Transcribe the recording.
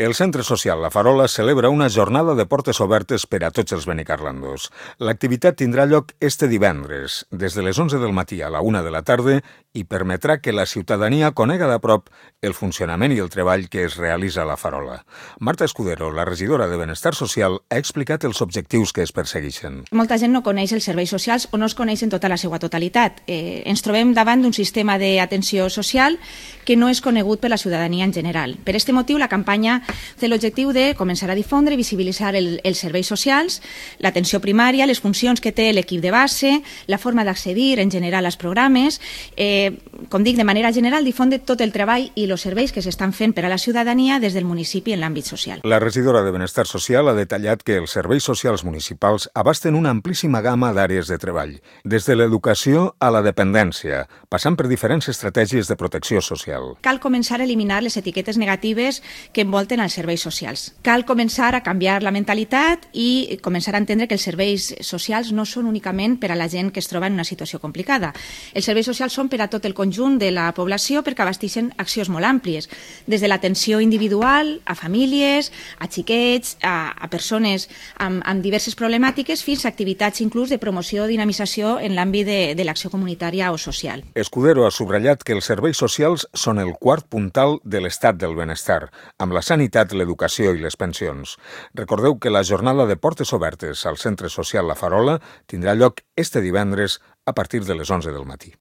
El Centre Social La Farola celebra una jornada de portes obertes per a tots els benicarlandos. L'activitat tindrà lloc este divendres, des de les 11 del matí a la 1 de la tarda, i permetrà que la ciutadania conega de prop el funcionament i el treball que es realitza a La Farola. Marta Escudero, la regidora de Benestar Social, ha explicat els objectius que es persegueixen. Molta gent no coneix els serveis socials o no els coneix en tota la seva totalitat. Ens trobem davant d'un sistema d'atenció social que no és conegut per la ciutadania en general. Per aquest motiu, la campanya té l'objectiu de començar a difondre i visibilitzar els serveis socials, l'atenció primària, les funcions que té l'equip de base, la forma d'accedir en general als programes, com dic, de manera general, difondre tot el treball i els serveis que s'estan fent per a la ciutadania des del municipi en l'àmbit social. La regidora de Benestar Social ha detallat que els serveis socials municipals abasten una amplíssima gamma d'àrees de treball, des de l'educació a la dependència, passant per diferents estratègies de protecció social. Cal començar a eliminar les etiquetes negatives que envolten els serveis socials. Cal començar a canviar la mentalitat i començar a entendre que els serveis socials no són únicament per a la gent que es troba en una situació complicada. Els serveis socials són per a tot el conjunt de la població perquè abasteixen accions molt àmplies, des de l'atenció individual a famílies, a xiquets, a persones amb diverses problemàtiques, fins a activitats inclús de promoció o dinamització en l'àmbit de l'acció comunitària o social. Escudero ha subratllat que els serveis socials són el quart puntal de l'estat del benestar, amb la sanitat, l'educació i les pensions. Recordeu que la jornada de portes obertes al Centre Social La Farola tindrà lloc este divendres a partir de les 11 del matí.